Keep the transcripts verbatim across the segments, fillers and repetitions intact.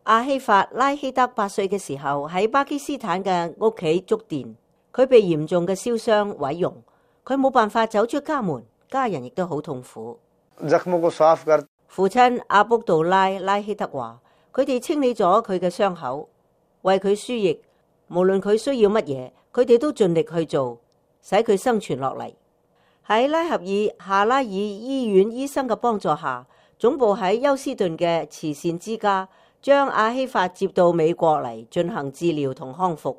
阿希法拉希德八歲嘅時候喺巴基斯坦嘅屋企觸電，佢被嚴重嘅燒傷毀容，佢冇辦法走出家門，家人亦都好痛苦。父親阿卜杜拉拉希德話：佢哋清理咗佢嘅傷口，為佢輸液，無論佢需要乜嘢，佢哋都盡力去做，使佢生存落嚟。喺拉合爾夏拉爾醫院醫生嘅幫助下，總部喺休斯頓嘅慈善之家將阿希法接到美國嚟進行治療同康復。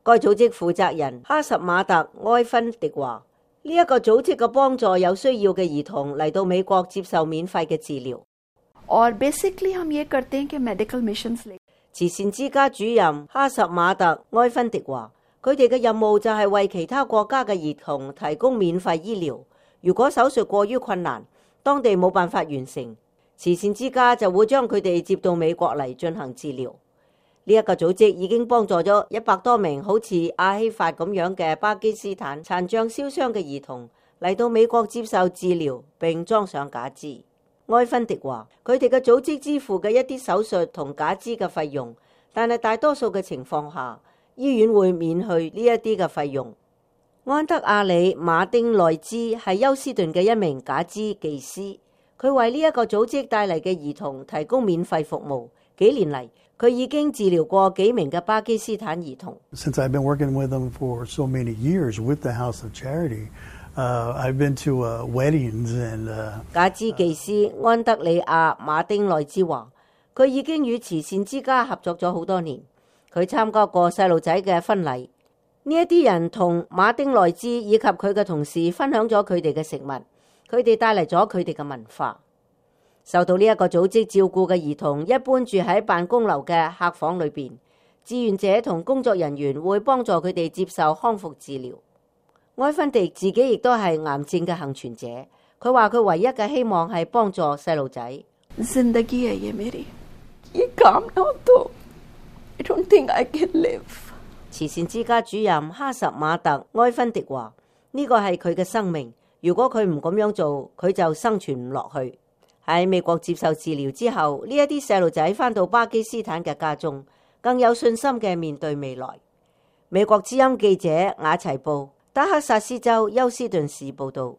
該組織負責人哈什馬特埃芬迪話：呢一個組織嘅幫助有需要嘅兒童嚟到美國接受免費嘅治療。और बेसिकली हम ये करते हैं कि मेडिकल मिशंस ले慈善之家主任哈什馬特埃芬迪話：佢哋嘅任務就係為其他國家嘅兒童提供免費醫療。如果手術過於困難，當地冇辦法完成，慈善之家就會將佢哋接到美國嚟進行治療。呢一個組織已經幫助咗一百多名好似阿希法咁樣嘅巴基斯坦殘障燒傷嘅兒童嚟到美國接受治療並裝上假肢。埃芬迪話：佢哋嘅組織支付嘅一啲手術同假肢嘅費用，但係大多數嘅情況下，醫院會免去呢一啲嘅費用。安德亞里馬丁內茲係休斯頓嘅一名假肢技師，佢為呢一個組織帶嚟嘅兒童提供免費服務。幾年嚟，佢已經治療過幾名嘅巴基斯坦兒童。Since I've been working with them for so many years with the House of Charity, uh, I've been to uh, weddings and. Uh, 假肢技師安德里亞馬丁內茲話：佢已經與慈善之家合作咗好多年，佢參加過細路仔嘅婚禮。呢一啲人同馬丁內茲以及佢嘅同事分享咗佢哋嘅食物，佢哋帶嚟咗佢哋嘅文化。受到呢一個組織照顧嘅兒童一般住喺辦公樓嘅客房裏邊，志願者同工作人員會幫助佢哋接受康復治療。埃芬迪自己亦都係癌症嘅幸存者，佢話佢唯一嘅希望係幫助細路仔。जिंदगी है ये मेरी, ये काम ना हो तो I don't think I can live。慈善之家主任哈什馬特埃芬迪話：呢個係佢嘅生命，如果佢唔咁樣做，佢就生存唔落去。喺美國接受治療之後，呢一啲細路仔返到巴基斯坦嘅家中，更有信心嘅面對未來。美國之音記者雅齊布，德克薩斯州休斯頓市報導。